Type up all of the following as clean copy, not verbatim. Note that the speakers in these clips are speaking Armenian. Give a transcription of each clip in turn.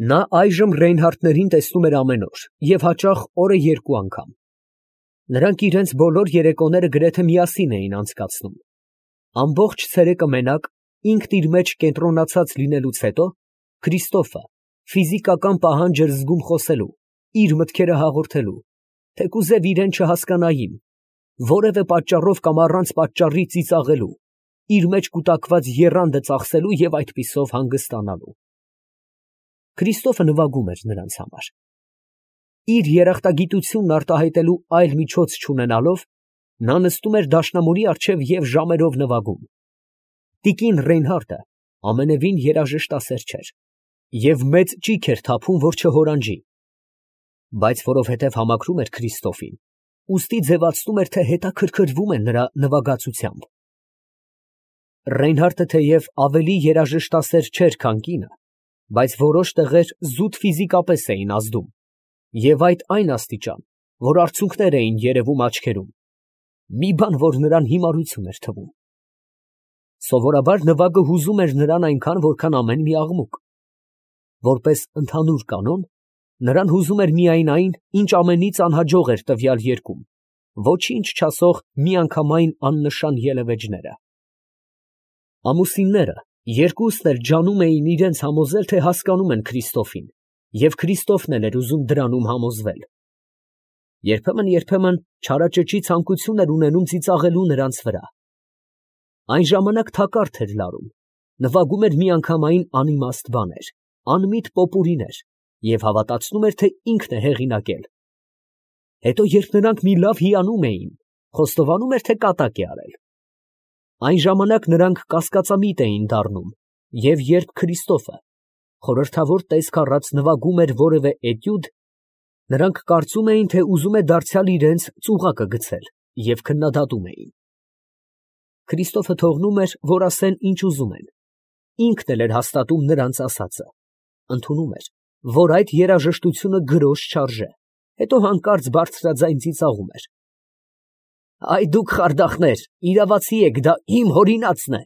Նա այժմ Ռեյնհարդներին տեսնում էր ամեն օր և հաճախ օրը երկու անգամ. նրանք իրենց բոլոր երեկոները գրեթե միասին էին անցկացնում. ամբողջ ցերեկը մենակ, ինքն իր մեջ կենտրոնացած լինելուց հետո, Քրիստոֆը ֆիզիկական պահանջ էր զգում խոսելու, իր մտքերը հաղորդելու, թեկուզև իրեն չհասկանային, որևէ պատճառով կամ առանց պատճառի ծիծաղելու, իր մեջ կուտակված եռանդը ծախսելու և այդպիսով հանգստանալու։ Քրիստոֆը նվագում էր նրանց համար։ Իր երախտագիտությունն արտահայտելու այլ միջոց չունենալով, նա նստում էր դաշնամուրի առջև և ժամերով նվագում։ Տիկին Ռեյնհարդը ամենևին երաժշտասեր չէր և մեծ ճիգ էր թափում, որ չհորանջի, բայց որովհետև համակրում էր Քրիստոֆին, ուստի ձևացնում էր, թե հետաքրքրվում է նրա նվագածությամբ։ Ռեյնհարդը թեև ավելի երաժշտասեր չէր, քան կինը, բայց որոշ տեղեր զուտ ֆիզիկապես էին ազդում, և այդ այն աստիճան, որ արցունքներ էին երևում աչքերում, մի բան, որ նրան հիմարություն էր թվում։ Սովորաբար նվագը հուզում էր նրան այնքան, որքան ամեն մի աղմուկ։ Որպես ընդհանուր կանոն, նրան հուզում էր միայն այն, ինչ ամենից անհաջող էր տվյալ երգում, ոչինչ չասող միանգամայն աննշան ելևէջները։ Ամուսինները երկուսն էլ ջանում էին իրենց համոզել, թե հասկանում են Քրիստոֆին, և Քրիստոֆն էլ էր ուզում դրանում համոզվել։ Երբեմն չարաճճի ցանկություն էր ունենում ծիծաղելու նրանց վրա։ Այն ժամանակ թակարդ էր լարում, նվագում էր միանգամայն անիմաստ բաներ, անմիտ պոպուրիներ և հավատացնում էր, թե ինքն է հեղինակել։ Հետո երբ նրանք մի լավ հիանում էին, խոստովանում էր, թե կատակ է արել։ Այն ժամանակ նրանք կասկածամիտ էին դառնում, և երբ Քրիստոֆը խորհրդավոր տեսք առած նվագում էր որևէ էտյուդ, նրանք կարծում էին, թե ուզում է դարձյալ իրենց ծուղակը գցել և քննադատում էին։ Քրիստոֆը թողնում էր, որ ասեն ինչ ուզում են, ինքն էլ էր հաստատում նրանց ասածը, ընդունում էր, որ այդ երաժշտությունը գրոշ չարժե, հետո հանկարծ բարձրաձայն ծիծաղում էր. «Այ դուք խարդախներ, իրավացի եք, դա իմ հորինածն է»։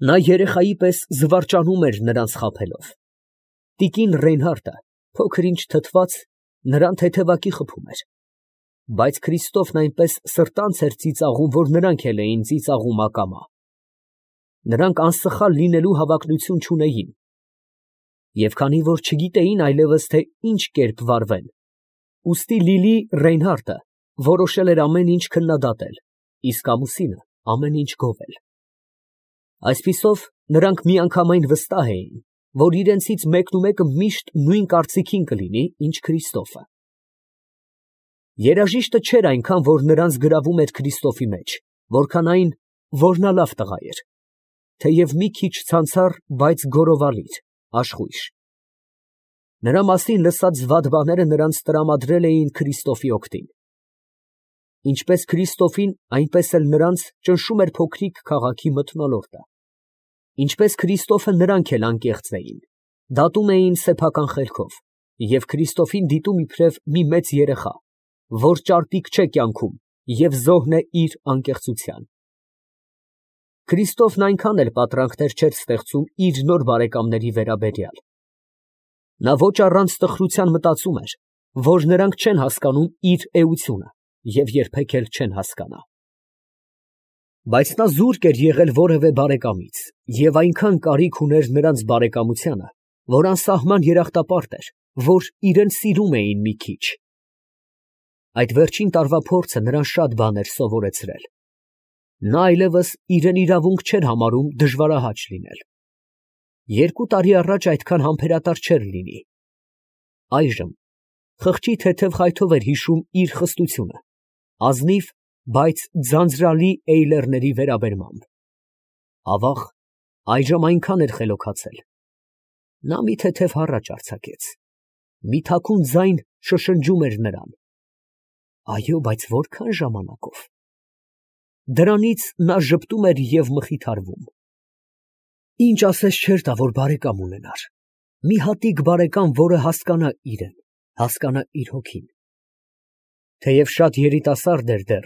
Նա երեխայի պես զվարճանում էր նրանց խաբելով։ Տիկին Ռեյնհարդը, փոքր ինչ թթված, նրան թեթևակի խփում էր, բայց Քրիստոֆն այնպես սրտանց էր ծիծաղում, որ նրանք էլ էին ծիծաղում ակամա։ Նրանք անսխալ լինելու հավակնություն չունեին, և քանի որ չգիտեին այլևս, թե ինչ կերպ վարվեն, ուստի Լիլի Ռեյնհարդը որոշել էր ամեն ինչ քննադատել, իսկ ամուսինը ամեն ինչ գովել։ Այսպիսով նրանք միանգամայն վստահ էին, որ իրենցից մեկնումեկը միշտ նույն կարծիքին կլինի, ինչ Քրիստոֆը։ Երաժիշտը չէր այնքան, որ նրանց գրավում էր Քրիստոֆի մեջ, որքան այն, որ նա լավ տղա էր, թեև մի քիչ ցանցառ, բայց գոռովալիր, աշխույժ։ Նրա մասին լսած վատ բաները նրանց տրամադրել էին Քրիստոֆի օգտին։ Ինչպես Քրիստոֆին, այնպես էլ նրանց ճնշում էր փոքրիկ քաղաքի մթնոլորտը։ Ինչպես Քրիստոֆը, նրանք էլ անկեղծ էին, դատում էին սեփական խելքով և Քրիստոֆին դիտում իբրև մի մեծ երեխա, որ ճարպիկ չէ կյանքում և զոհն է իր անկեղծության։ Քրիստոֆն այնքան էլ պատրանքներ չէր ստեղծում իր նոր բարեկամների վերաբերյալ։ Նա ոչ առանց տխրության մտածում էր, որ նրանք չեն հասկանում իր էությունը և երբեք էլ չեն հասկանա։ Բայց նա զուրկ էր եղել որևէ բարեկամից և այնքան կարիք ուներ նրանց բարեկամությանը, որ անսահման երախտապարտ էր, որ իրեն սիրում էին մի քիչ։ Այդ վերջին տարվա փորձը նրան շատ բաներ սովորեցրել։ Նա այլևս իրեն իրավունք չէր համարում դժվարահաճ լինել։ 2 տարի առաջ այդքան համբերատար չէր լինի։ Այժմ խղճի թեթև խայթով էր հիշում իր խստությունը, ազնիվ, բայց ձանձրալի էյլերների վերաբերմամբ։ Ավաղ, այժմ այնքան էր խելոքացել։ Նա մի թեթև հառաչ արձակեց, մի թաքուն ձայն շշնջում էր նրան։ Այո, բայց որքան ժամանակով։ Դրանից նա ժպտում էր և մխիթարվում։ Ինչ ասես չէր տա, որ բարեկամ ունենար, մի հատիկ բարեկամ, որը հասկանա իրեն, հասկանա իր հոգին։ Թեև շատ երիտասարդ էր դեռ,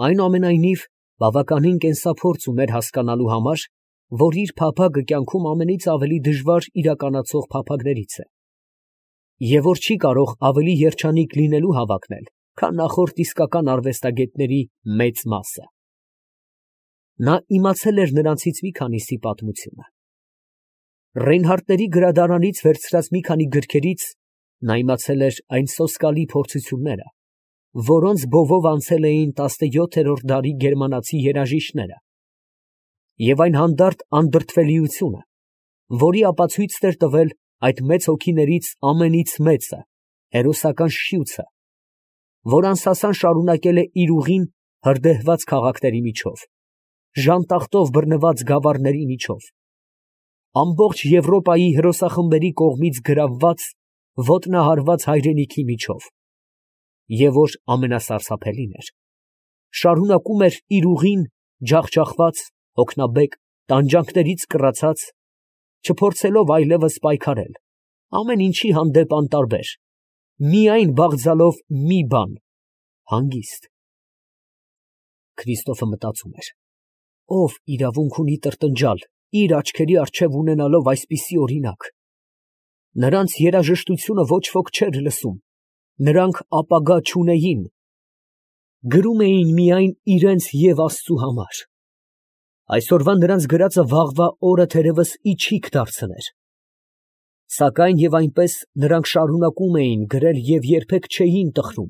այնուամենայնիվ բավականին կենսափորձ ուներ հասկանալու համար, որ իր փափագը կյանքում ամենից ավելի դժվար իրականացող փափագներից է, և որ չի կարող ավելի երջանիկ լինելու հավակնել, քան նախորդ իսկական արվեստագետների մեծ մասը։ Նա իմացել էր նրանցից մի քանիսի պատմությունը։ Ռեյնհարդների գրադարանից վերցրած մի քանի գրքերից նա իմացել էր այն սոսկալի փորձությունները, որոնց բովով անցել էին 17-րդ դարի գերմանացի երաժիշտները, և այն հանդարտ անդրդվելիությունը, որի ապացույցն էր տվել այդ մեծ հոգիներից ամենից մեծը, հերոսական շիուցը, որ անսասան շարունակել է իր ուղին հրդեհված քաղաքների միջով, ժանտախտով բռնված գավառների միջով, ամբողջ Եվրոպայի հրոսախմբերի կողմից գրավված, ոտնահարված հայրենիքի միջով, և որ ամենասարսափելին էր, շարունակում էր իր ուղին ջախջախված, հոգնաբեկ, տանջանքներից կռացած, չփորձելով այլևս պայքարել, ամեն ինչի հանդեպ անտարբեր, միայն բաղձալով մի բան, հանգիստ։ Քրիստոֆը մտածում էր. ով իրավունք ունի տրտնջալ, իր աչքերի առջև ունենալով այսպիսի օրինակ։ Նրանց երաժշտությունը ոչ ոք չէր լսում, նրանք ապագա չունեին, գրում էին միայն իրենց և Աստծու համար։ Այսօրվա նրանց գրածը վաղվա օրը թերևս իչիք դարձներ։ Սակայն և այնպես նրանք շարունակում էին գրել և երբեք չէին տխրում։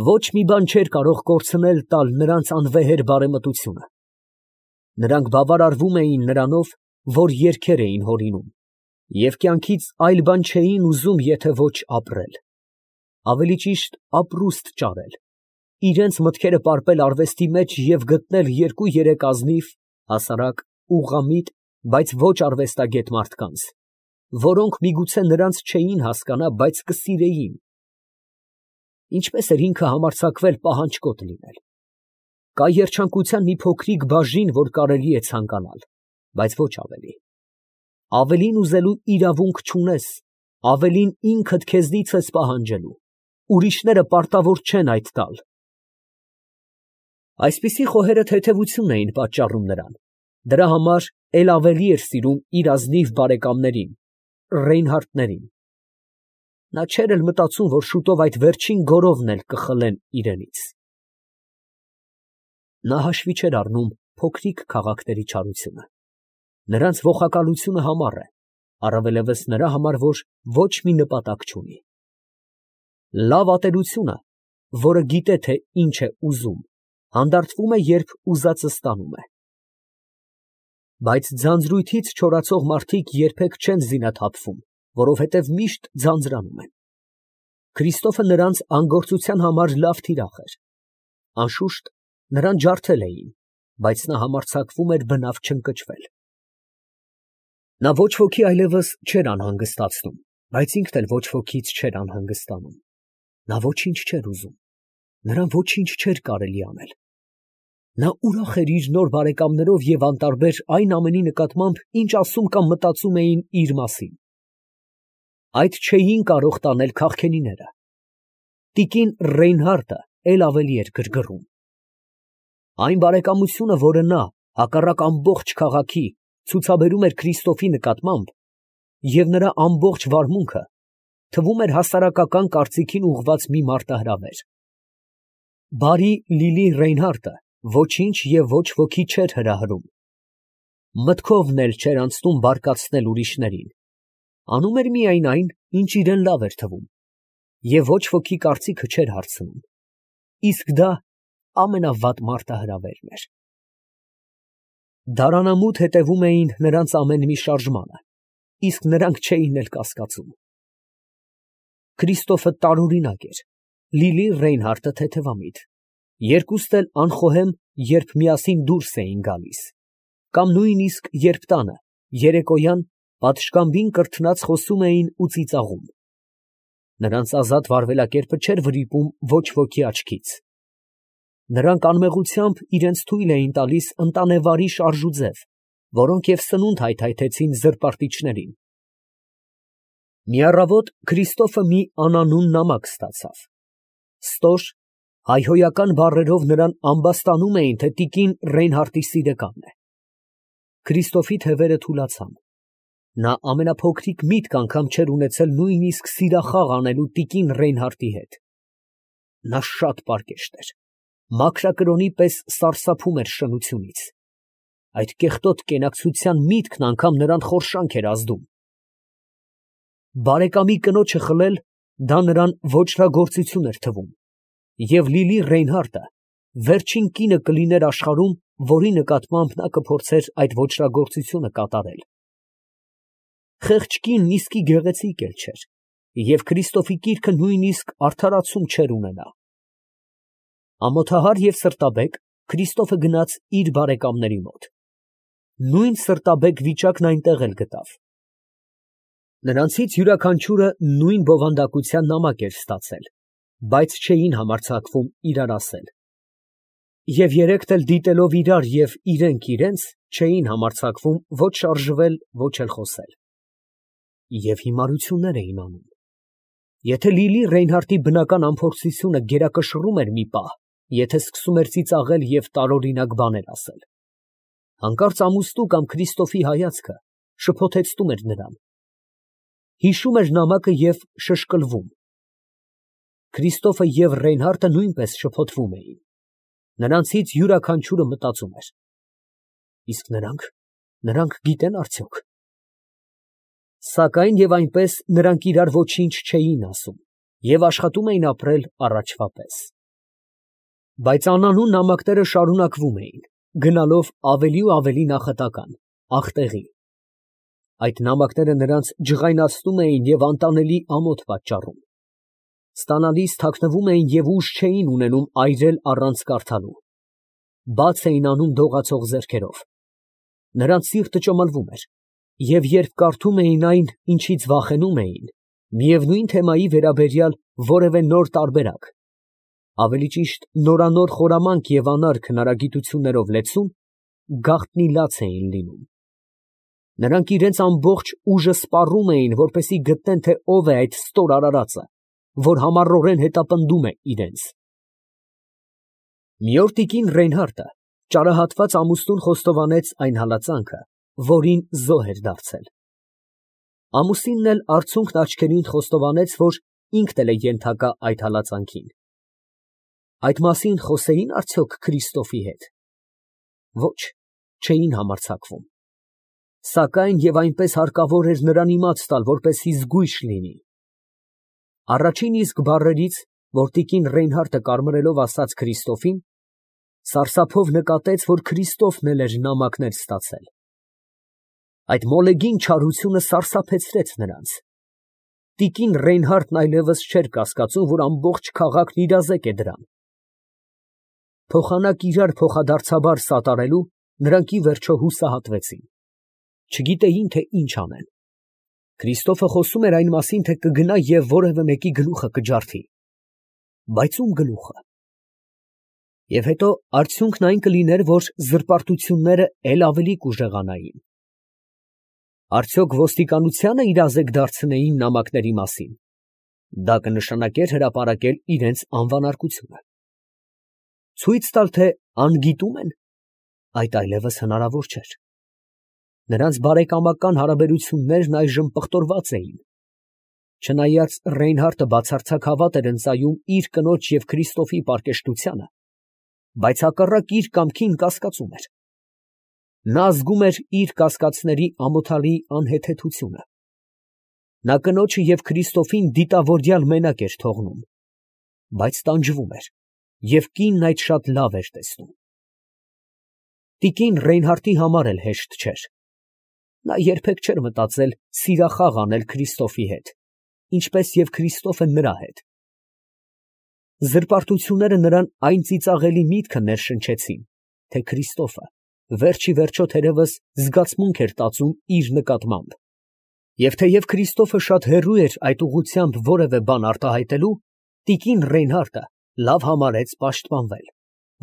Ոչ մի բան չէր կարող կորցնել տալ նրանց անվեհեր բարեմտությունը։ Նրանք բավարարվում էին նրանով, որ երգեր էին հորինում, և կյանքից այլ բան չէին ուզում, եթե ոչ ապրել, ավելի ճիշտ ապրուստ ճարել, իրենց մտքերը պարպել արվեստի մեջ և գտնել երկու-երեք ազնիվ, հասարակ, ուղղամիտ, բայց ոչ արվեստագետ մարդկանց, որոնք միգուցե նրանց չէին հասկանա, բայց կսիրեին։ Ինչպես էր ինքը համարձակվել պահանջկոտ լինել։ Կա երջանկության մի փոքրիկ բաժին, որ կարելի է ցանկանալ, բայց ոչ ավելի։ Ավելին ուզելու իրավունք չունես, ավելին ինքդ քեզնից ես պահանջելու, ուրիշները պարտավոր չեն այդ տալ։ Այսպիսի խոհերը թեթևություն էին պատճառում նրան, դրա համար էլ ավելի էր սիրում իր ազնիվ բարեկամներին, Ռեյնհարդներին։ Նա չէր էլ մտածում, որ շուտով այդ վերջին գորովն էլ կխլեն իրենից։ Նա հաշվի չէր առնում փոքրիկ քաղաքների չարությունը։ Նրանց ողակալությունը համառ է, առավելևս նրա համար, որ ոչ մի նպատակ չունի։ Լավ ատելությունը, որը գիտե, թե ինչ է ուզում, հանդարտվում է, երբ ուզածը ստանում է։ Բայց ձանձրույթից չորացող մարդիկ երբեք չեն զինաթափվում, որովհետև միշտ ձանձրանում են։ Քրիստոֆը նրանց անգործության համար լավ թիրախ էր։ Անշուշտ, նրան ջարդել էին, բայց նա համարձակվում էր բնավ չընկճվել։ Նա ոչ ոքի այլևս չէր անհանգստացնում, բայց ինքն էլ ոչ wokից չէր անհանգստանում։ Նա ոչինչ չէր ուզում, նրան ոչինչ չէր կարելի անել։ Նա ուրախ էր իր նոր բարեկամներով և անտարբեր այն ամենի նկատմամբ, ինչ ասում կամ մտածում էին իր մասին։ Այդ չէին կարող տանել քաղքենիները։ Տիկին Ռեյնհարդը էլ ավելի էր գրգռում։ Այն բարեկամությունը, որը նա, հակառակ ամբողջ քաղաքի, ցուցաբերում էր Քրիստոֆի նկատմամբ, և նրա ամբողջ վարմունքը, թվում էր հասարակական կարծիքին ուղղված մի մարտահրավեր։ Բարի Լիլի Ռեյնհարդը ոչինչ և ոչ ոքի չէր հրահրում։ Մտքովն էլ չէր անցնում բարկացնել ուրիշներին։ Անում էր միայն այն, ինչ իրան լավ էր թվում, և ոչ ոքի կարծիքը չէր հարցնում։ Իսկ դա ամենավատ մարտահրավերն էր։ Դարանամուտ հետևում էին նրանց ամեն մի շարժմանը, իսկ նրանք չէին էլ կասկածում։ Քրիստոֆը տարօրինակ էր, Լիլի Ռեյնհարդը թեթևամիտ, երկուստ էլ անխոհեմ, երբ միասին դուրս էին գալիս, կամ նույնիսկ երբ տանը, երեկոյան, պատշգամբին կրթնած խոսում էին ու ծիծաղում։ Նրանց ազատ վարվելակերպը չէր վրիպում ոչ ոքի աչքից։ Նրանք անմեղությամբ իրենց թույլ էին տալիս ընտանեվարի շարժուձև, որոնք և սնունդ հայթայթեցին զրպարտիչներին։ Մի առավոտ Քրիստոֆը մի անանուն նամակ ստացավ։ Ստոր, հայհոյական բառերով նրան ամբաստանում էին, թե տիկին Ռեյնհարդի սիրեկանն է։ Քրիստոֆի թևերը թուլացան։ Նա ամենափոքրիկ միտք անգամ չէր ունեցել նույնիսկ սիրախաղ անելու տիկին Ռեյնհարդի հետ։ Նա շատ պարկեշտ էր, մաքրակրոնի պես սարսափում էր շնությունից։ Այդ կեղտոտ կենակցության միտքն անգամ նրան խորշանք էր ազդում։ Բարեկամի կնոջը խլել, դա նրան ոճրագործություն էր թվում, և Լիլի Ռեյնհարդը վերջին կինը կլիներ աշխարհում, որի նկատմամբ նա կփորձեր այդ ոճրագործությունը կատարել։ Խեղճ կինն իսկի գեղեցիկ էլ չէր, և Քրիստոֆի կիրքը նույնիսկ արդարացում չէր ունենա։ Ամոթահար և սրտաբեկ Քրիստոֆը գնաց իր բարեկամների մոտ։ Նույն սրտաբեկ վիճակն այնտեղ էլ գտավ։ Նրանցից յուրաքանչյուրը նույն բովանդակության նամակ էր ստացել, բայց չէին համարձակվում իրար ասել։ Եվ երեքն էլ դիտելով իրար և իրենք իրենց, չէին համարձակվում ոչ շարժվել, ոչ էլ խոսել։ Եվ հիմարություններ էին անում։ Եթե Լիլի Ռեյնհարդի բնական անփորձությունը գերակշռում էր մի պահ, եթե սկսում էր ծիծաղել և տարօրինակ բաներ ասել, հանկարծ ամուսնու կամ Քրիստոֆի հայացքը շփոթեցնում էր նրան, հիշում էր նամակը և շշկլվում։ Քրիստոֆը և Ռեյնհարդը նույնպես շփոթվում էին։ Նրանցից յուրաքանչյուրը մտածում էր. իսկ նրանք գիտեն արդյոք։ Սակայն և այնպես նրանք իրար ոչինչ չէին ասում և աշխատում էին ապրել առաջվա պես։ Բայց անանուն նամակները շարունակվում էին, գնալով ավելի ու ավելի նախատական, ախտեղի։ Այդ նամակները նրանց ջղայնացնում էին և անտանելի ամոթ պատճառում։ Ստանալիս թաքնվում էին և ուժ չէին ունենում այրել առանց կարդալու։ Բաց էին անում դողացող ձեռքերով։ Նրանց սիրտը ճմլվում էր, և երբ կարդում էին այն, ինչից վախենում էին, միևնույն թեմայի վերաբերյալ որևէ նոր տարբերակ, ավելի ճիշտ նորանոր խորամանկ և անարգ հնարագիտություններով լեցուն, գաղտնի լաց էին լինում։ Նրանք իրենց ամբողջ ուժը սպառում էին, որպեսզի գտնեն, թե ով է այդ ստոր արարածը, որ համառորեն հետապնդում է իրենց։ Մի օր տիկին Ռեյնհարդը ճարահատված ամուսնուն խոստովանեց այն հալածանքը, որին զոհ էր դարձել։ Ամուսինն էլ արցունքն աչքերին խոստովանեց, որ ինքն էլ է ենթակա այդ հալածանքին։ Այդ մասին խոսեի՞ն արդյոք Քրիստոֆի հետ։ Ոչ, չէին համարձակվում։ Սակայն և այնպես հարկավոր էր նրան իմաց տալ, որպեսզի զգույշ լինի։ Առաջին իսկ բառերից, որ տիկին Ռեյնհարդը կարմրելով ասաց Քրիստոֆին, սարսափով նկատեց, որ Քրիստոֆն էլ էր նամակներ ստացել։ Այդ մոլեգին չարությունը սարսափեցրեց նրանց։ Տիկին Ռեյնհարդն այլևս չէր կասկածում, որ ամբողջ քաղաքն իրազեկ է դրան։ Փոխանակ իրար փոխադարձաբար սատարելու նրանք ի վերջո հուսահատվեցին։ Չգիտեին, թե ինչ անեն։ Քրիստոֆը խոսում էր այն մասին, թե կգնա և որևէ մեկի գլուխը կջարդի։ Բայց ո՞ւմ գլուխը։ Եվ հետո արդյունքն այն կլիներ, որ զրպարտությունները էլ ավելի կուժեղանային։ Արդյոք ոստիկանությա՞նը իրազեկ դարձնեին նամակների մասին։ Դա կնշանակեր հրապարակել իրենց անվանարկությունը։ Ցույց տալ, թե անգիտում են, այդ այլևս հնարավոր չէր։ Նրանց բարեկամական հարաբերություններն այժմ պղտորված էին։ Չնայած Ռեյնհարդը բացարձակ հավատ էր ընծայում իր կնոջ և Քրիստոֆի պարկեշտությանը, բայց հակառակ իր կամքին կասկածում էր։ Նա զգում էր իր կասկածների ամոթալի անհեթեթությունը։ Նա կնոջը և Քրիստոֆին դիտավորյալ մենակ էր թողնում, բայց տանջվում էր, և կինն այդ շատ լավ էր տեսնում։ Տիկին Ռեյնհարդի համար էլ հեշտ չէր։ Նա երբեք չէր մտածել սիրախաղ անել Քրիստոֆի հետ, ինչպես և Քրիստոֆը նրա հետ։ Զրպարտությունները նրան այն ծիծաղելի միտքը ներշնչեցին, թե Քրիստոֆը վերջ ի վերջո թերևս զգացմունք էր տածում իր նկատմամբ, և թեև Քրիստոֆը շատ հեռու էր այդ ուղղությամբ որևէ բան արտահայտելու, տիկին Ռեյնհարդը լավ համարեց պաշտպանվել,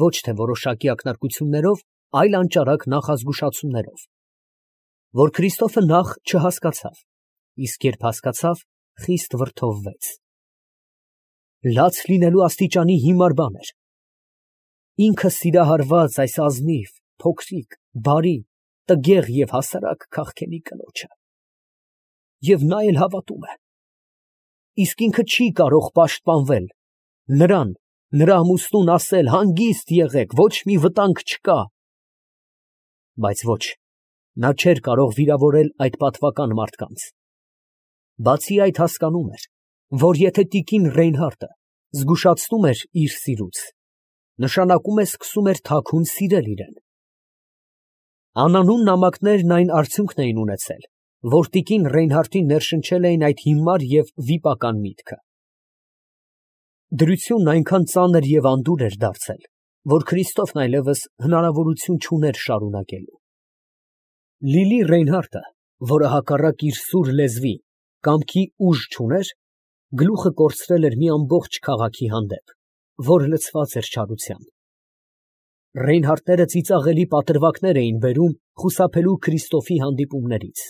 ոչ թե որոշակի ակնարկություններով, այլ անճարակ նախազգուշացումներով, որ Քրիստոֆը նախ չհասկացավ, իսկ երբ հասկացավ, խիստ վրդովվեց։ Լաց լինելու աստիճանի հիմար բան էր։ Ինքը սիրահարված այս ազնիվ, փոքրիկ, բարի, տգեղ և հասարակ քաղքենի կնոջը։ Եվ նա էլ հավատում է։ Իսկ ինքը չի կարող պաշտպանվել, նրան, նրա ամուսնուն ասել հանգիստ եղեք, ոչ մի վտանգ չկա։ Բայց ոչ, նա չէր կարող վիրավորել այդ պատվական մարդկանց։ Բացի այդ հասկանում էր, որ եթե տիկին Ռեյնհարդը զգուշացնում էր իր սիրուց, նշանակում է սկսում էր թաքուն սիրել իրեն։ Անանուն նամակներն այն արդյունքն էին ունեցել, որ տիկին Ռեյնհարդին ներշնչել էին այդ հիմար և վիպական միտքը։ Դրությունն այնքան ծանր և անդուր էր դարձել, որ Քրիստոֆն այլևս հնարավորություն չուներ շարունակելու։ Լիլի Ռեյնհարդը, որը հակառակ իր սուր լեզվի, կամքի ուժ չուներ, գլուխը կորցրել էր մի ամբողջ քաղաքի հանդեպ, որ լցված էր չարությամբ։ Ռեյնհարդները ծիծաղելի պատրվակներ էին բերում խուսափելու Քրիստոֆի հանդիպումներից։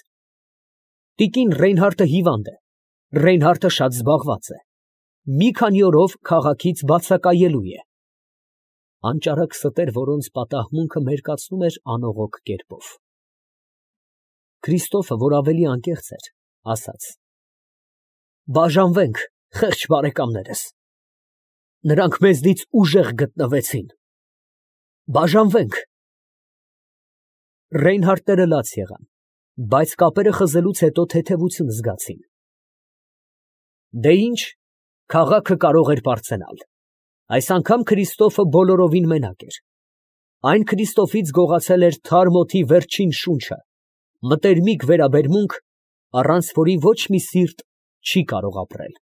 Տիկին Ռեյնհարդը հիվանդ է, Ռեյնհարդը շատ զբաղված է, մի քանի օրով քաղաքից բացակայելու է։ Անճարակ ստեր, որոնց պատահմունքը մերկացնում էր անողոք կերպով։ Քրիստոֆը, որ ավելի անկեղծ էր, ասաց. «Բաժանվենք, խեղճ բարեկամներս, նրանք մեզնից ուժեղ գտնվեցին, բաժանվենք»։ Ռեյնհարդները լաց եղան, բայց կապերը խզելուց հետո թեթևություն զգացին։ Դե ինչ, քաղաքը կարող էր պարծենալ։ Այս անգամ Քրիստոֆը բոլորովին մենակ էր։ Այն Քրիստոֆից գողացել էր թարմ օդի վերջին շունչը, մտերմիկ վերաբերմունք, առանց որի ոչ մի սիրտ չի կարող ապրել։